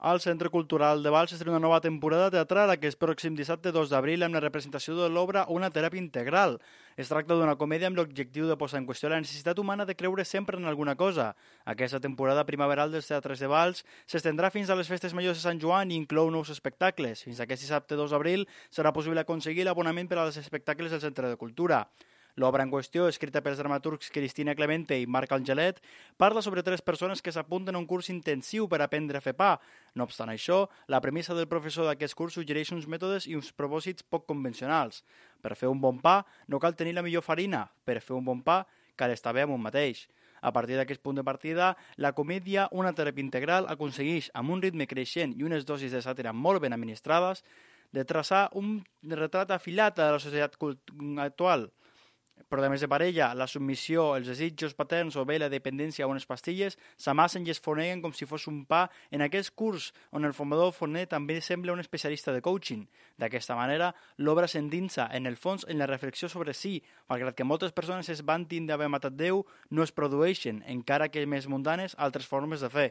Al Centre Cultural de Valls s'estrena una nova temporada teatral aquest pròxim dissabte 2 d'abril amb la representació de l'obra Una teràpia integral. Es tracta d'una comèdia amb l'objectiu de posar en qüestió la necessitat humana de creure sempre en alguna cosa. Aquesta temporada primaveral dels teatres de Valls s'estendrà fins a les festes majors de Sant Joan i inclou nous espectacles. Fins aquest dissabte 2 d'abril serà possible aconseguir l'abonament per als espectacles del Centre de Cultura. L'obra en qüestió, escrita pels dramaturgs Cristina Clemente i Marc Angelet, parla sobre 3 persones que s'apunten a un curs intensiu per aprendre a fer pa. No obstant això, la premissa del professor d'aquest curs suggereix uns mètodes i uns propòsits poc convencionals. Per fer un bon pa no cal tenir la millor farina. Per fer un bon pa cal estar bé amb un mateix. A partir d'aquest punt de partida, la comèdia Una teràpia integral aconsegueix, amb un ritme creixent i unes dosis de sàtira molt ben administrades, de traçar un retrat afilat de la societat actual. Problemes de parella, la submissió, els desitjos paterns o bé la dependència a unes pastilles s'amassen i es foneguen com si fos un pa en aquest curs on el formador forner també sembla un especialista de coaching. D'aquesta manera, l'obra s'endinsa en el fons en la reflexió sobre si, malgrat que moltes persones es vantin d'haver matat Déu, no es produeixen, encara que més mundanes, altres formes de fer.